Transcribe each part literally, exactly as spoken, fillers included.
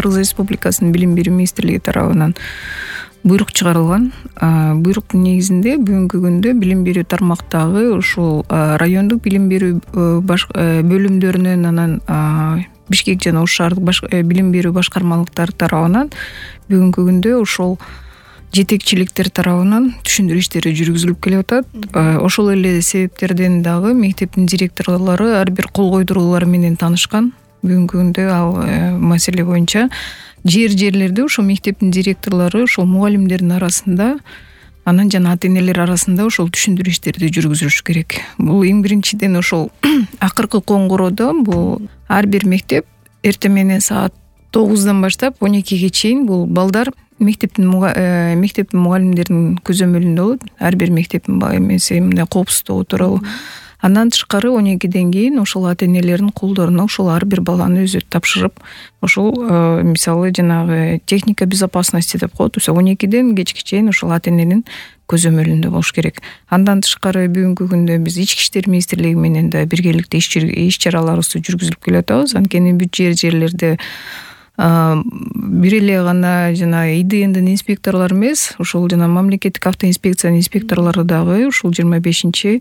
Кыргыз Республикасынын Билим берүү министрлиги тарабынан буйрук чыгарылган. Буйруктун негизинде бүгүнкү күндө билим берүү тармактагы ушул райондук билим берүү бөлүмдөрүнөн, анан Бишкек жана Ош шаардык билим берүү башкармалыктары тарабынан бүгүнкү күндө ошол жетекчиликтер тарабынан түшүндүрүү иштери жүргүзүлүп келип атат. Ошол эле себептерден дагы мектептин директорлору ар бир кол койдуруулар менен таанышкан. Бүгүнкү күндө ал маселе боюнча жер жерлерде ошол мектептин директорлору ошол мугалимдердин арасында, анан жана ата энелер арасында ошол түшүндүрүү иштерди жүргүзүш керек. Бул эң биринчиден ошол акыркы коңгуроодо бул ар бир мектеп эртең менен саат тогуздан баштап он экиге чейин бул балдар мектептин мектептин мугалимдеринин көзөмөлүндө болот. Ар бир мектептин эмеси мындай коопсуздугу тууралуу. Андан тышкары он экиден кийин ошол ата энелердин колдоруна ошол ар бир баланы өзү тапшырып, ошол мисалы жанагы техника безопасности деп коет. он экиден кечке чейин ошол ата эненин көзөмөлүндө болуш керек. Андан тышкары бүгүнкү күндө биз Ички иштер министрлиги менен да биргеликте иш чараларыбызды жүргүзүп келатабыз. Анткени бүт жер жерлерде бир эле гана жана И Д Ндин инспекторлору эмес, ошол жана мамлекеттик автоинспекциянын инспекторлору дагы ушул жыйырма бешинчи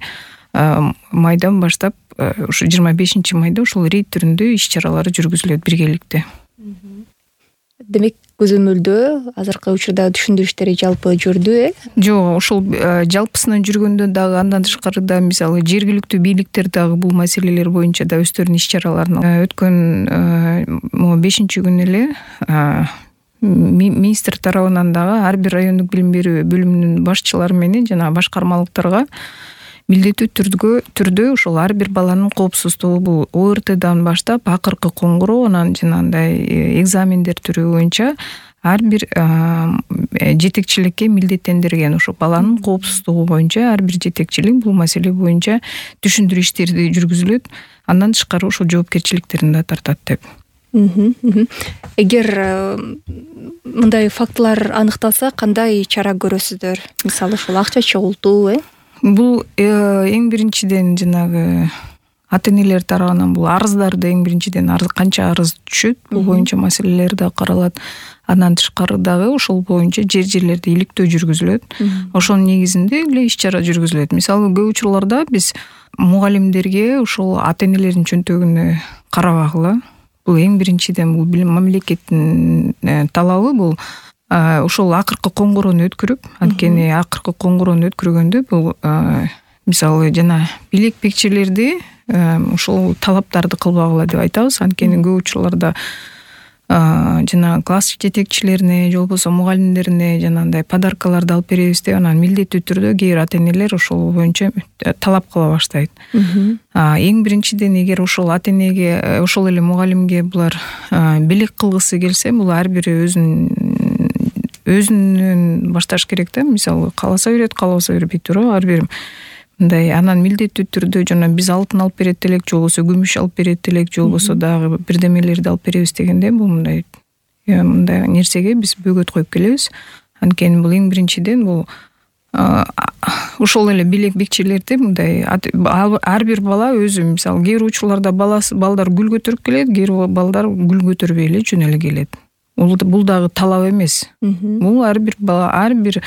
майдан баштап, ушу жыйырма бешинчи майда ушул рейд түрүндө иш чаралары жүргүзүлөт биргеликте. Демек көзөмөлдө азыркы учурда түшүндүрүү иштери жалпы жүрдү, э? Жок, ошол жалпысынан жүргөндө дагы андан тышкары да мисалы жергиликтүү бийликтер дагы бул маселелер боюнча да өздөрүнүн иш чараларын өткөн бешинчи күнү эле министр тарабынан дагы ар бир райондук билим берүү бөлүмүнүн башчылары менен жана башкармалыктарга милдеттүү түрдө түрдө ошол ар бир баланын коопсуздугу бул О Р Тдан баштап акыркы коңгуроо, анан жанагындай экзамендер түрү боюнча ар бир жетекчиликке милдеттендирген. Ошо баланын коопсуздугу боюнча ар бир жетекчилик бул маселе боюнча түшүндүрүү иштерди жүргүзүлөт. Андан тышкары ошол жоопкерчиликтерин да тартат деп. Эгер мындай фактылар аныкталса, кандай чара көрөсүздөр? Мисалы ушул акча чогултуу, э? Бул эң биринчиден жанагы ата энелер тарабынан бул арыздарды эң биринчиден канча арыз түшөт, бул боюнча маселелер да каралат. Андан тышкары дагы ошол боюнча жер жерлерде иликтөө жүргүзүлөт. Ошонун негизинде эле иш чара жүргүзүлөт. Мисалы көп учурларда биз мугалимдерге ошол ата энелердин чөнтөгүнө карабагыла. Бул эң биринчиден бул мамлекеттин талабы бул ошол акыркы коңгуроону өткөрүп, анткени акыркы коңгуроону өткөргөндө бул мисалы жана билек бекчелерди ошол талаптарды кылбагыла деп айтабыз. Анткени көп учурларда жана класс жетекчилерине же болбосо мугалимдерине жанагындай подаркаларды алып беребиз деп, анан милдеттүү түрдө кээ бир ата энелер ошол боюнча талап кыла баштайт. Эң биринчиден эгер ошол ата энеге, ошол эле мугалимге булар белек кылгысы келсе, бул ар бири өзүнүн өзүнөн башташ керек да. Мисалы кааласа берет, каалабаса бербейт туурабы, ар бир мындай. Анан милдеттүү түрдө жана биз алтын алып берет элек, же болбосо күмүш алып берет элек, же болбосо дагы бирдемелерди алып беребиз дегенде, бул мындай мындай нерсеге биз бөгөт коюп келебиз. Анткени бул эң биринчиден бул ошол эле белек бекчелерди мындай ар бир бала өзү, мисалы кээ бир учурларда баласы балдар гүл көтөрүп келет, кээ бир балдар гүл көтөрбөй эле жөн эле келет. Бул дагы талап эмес. Бул ар бир бала, ар бир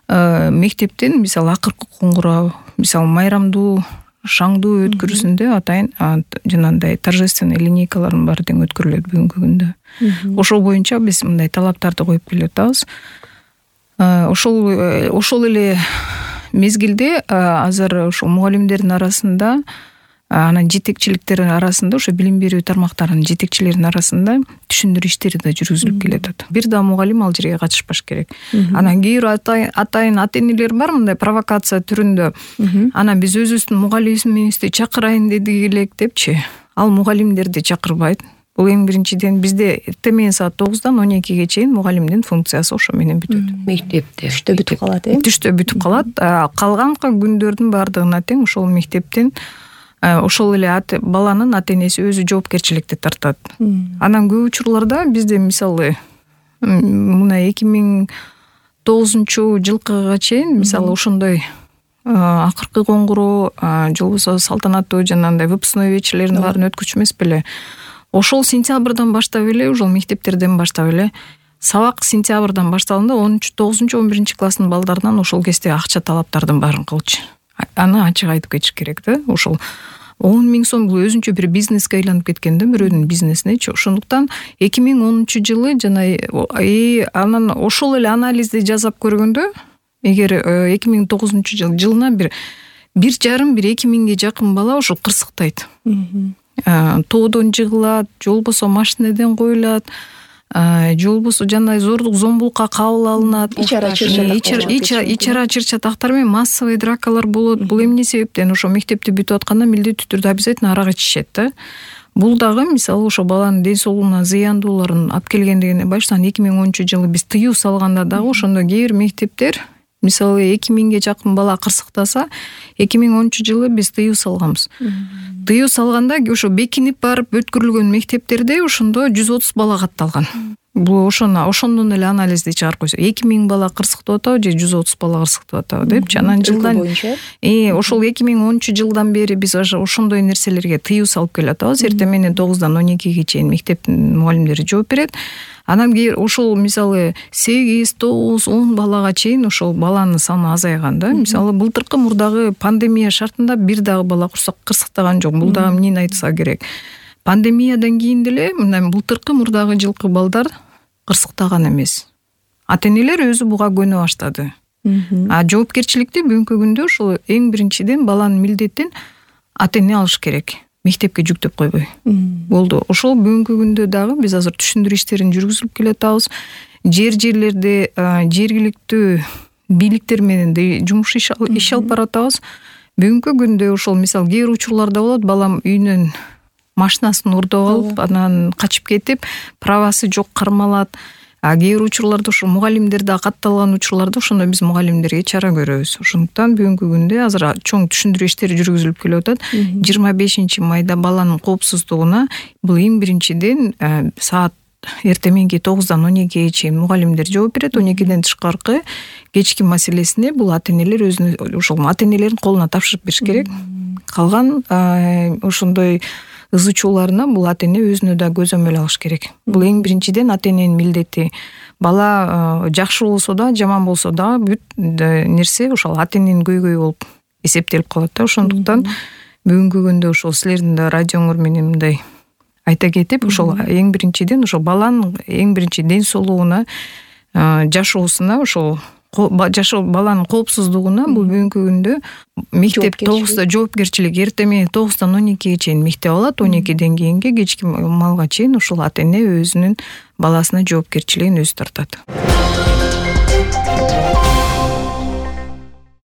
мектептин мисалы акыркы коңгуроо, мисалы майрамдуу, шаңдуу өткөрүүсүндө атайын жанагындай торжественный линейкалардын баары тең өткөрүлөт бүгүнкү күндө. Ошол боюнча биз мындай талаптарды коюп келип атабыз. Ошол ошол эле мезгилде азыр ошол мугалимдердин арасында, анан жетекчиликтердин арасында, ошо билим берүү тармактарынын жетекчилеринин арасында түшүндүрүү иштери да жүргүзүлүп келет. Бир да мугалим ал жерге катышпаш керек. Анан кээ бир атайын ата энелер бар мындай провокация түрүндө. Анан биз өзүбүздүн мугалимибизди чакырайын дедик элек депчи. Ал мугалимдерди чакырбайт. Бул эң биринчиден бизде эртең менен саат тогуздан он экиге чейин мугалимдин функциясы ошо менен бүтөт. Мектепте түштө бүтүп калат, э? Түштө бүтүп калат. Калган күндөрдүн баардыгына тең ошол мектептин ошол эле баланын ата энеси өзү жоопкерчиликти тартат. Анан көп учурларда бизде мисалы мына эки миң тогузунчу жылкыга чейин мисалы ошондой акыркы коңгуроо, же болбосо салтанаттуу жанагындай выпускной вечерлердин баарын өткөрчү эмес беле. ошол сентябрдан баштап эле ошол мектептерден баштап эле сабак сентябрдан башталганда онунчу тогузунчу он биринчи класстын балдарынан ошол кезде акча талаптардын баарын кылчу. Аны ачык айтып кетиш керек да. Ошол он миң сом бул өзүнчө бир бизнеске айланып кеткен да, бирөөнүн бизнесинечи. Ошондуктан эки миң онунчу жылы жана анан ошол эле анализди жасап көргөндө, эгер эки миң тогузунчу жыл жылына бир бир жарым бир эки миңге жакын бала ошол кырсыктайт. Тоодон жыгылат, же болбосо машинеден коюлат, же болбосо жандай зордук зомбулукка кабыл алынат. Ичара чыр-чатактар менен массовый дракалар болот. Бул эмне себептен? Ошо мектепти бүтүп атканда милдеттүү түрдө обязательно арак ичишет да. Бул дагы мисалы ошо баланын ден соолугуна зыяндууларын алып келгендигине баштан эки миң онунчу жылы биз тыюу салганда дагы ошондо кээ бир мектептер мисалы эки миңге жакын бала кырсыктаса, эки миң онунчу жылы биз тыюу салганбыз. Тыюу салганда ошо бекинип барып өткөрүлгөн мектептерде ошондо жүз отуз бала катталган. Бул ошону ошондон эле анализди чыгарып койсо, эки миң бала кырсыктап атабы же жүз отуз бала кырсыктап атабы депчи. Анан жылдан э ошол эки миң онунчу жылдан бери биз ошондой нерселерге тыюу салып келатабыз. Эртең менен тогуздан он экиге чейин мектептин мугалимдери жооп берет. Анан ошол мисалы сегиз, тогуз, он балага чейин ошол баланын саны азайган да. Мисалы былтыркы мурдагы пандемия шартында бир дагы бала кырсыктаган жок. Бул дагы эмнени айтса керек. Пандемиядан кийин деле мындай былтыркы мурдагы жылкы балдар кырсыктаган эмес. Ата-энелер өзү буга көнө баштады. А жоопкерчиликти бүгүнкү күндө ошол эң биринчиден баланын милдетин ата-эне алыш керек. Мектепке жүктөп койбой. Болду. Ошол бүгүнкү күндө дагы биз азыр түшүндүрүү иштерин жүргүзүп келатабыз. Жер жерлерде жергиликтүү бийликтер менен жумуш иш алып баратабыз. Бүгүнкү күндө ошол мисал кээ бир учурларда болот, балам үйүнөн машинасын урдап алып, анан качып кетип, правасы жок кармалат. А кээ бир учурларда ошо мугалимдер да катталган учурларда ошондо биз мугалимдерге чара көрөбүз. Ошондуктан бүгүнкү күндө азыр чоң түшүндүрүү иштери жүргүзүлүп келип атат. жыйырма бешинчи майда баланын коопсуздугуна бул эң биринчиден саат эртең мененки тогуздан он экиге чейин мугалимдер жооп берет. он экиден тышкаркы кечки маселесине бул ата-энелер өзүнүн ошол ата-энелердин колуна тапшырып бериш керек. Калган ошондой ызычууларына бул ата-эне өзүнө да көзөмөл алыш керек. Бул эң биринчиден ата-эненин милдети. Бала жакшы болсо да, жаман болсо да бүт нерсе ошол ата-эненин көйгөйү болуп эсептелип калат да. Ошондуктан бүгүнкү күндө ошол силердин да радиоңор менен мындай айта кетип, ошол эң биринчиден ошол баланын эң биринчи ден соолугуна, жашоосуна, ошол жашоо баланын коопсуздугуна бул бүгүнкү күндө мектеп тогузда жоопкерчилик эртең менен тогуздан он экиге чейин мектеп алат, он экиден кийинки кечки малга чейин ошол ата-эне өзүнүн баласына жоопкерчилигин өзү тартат.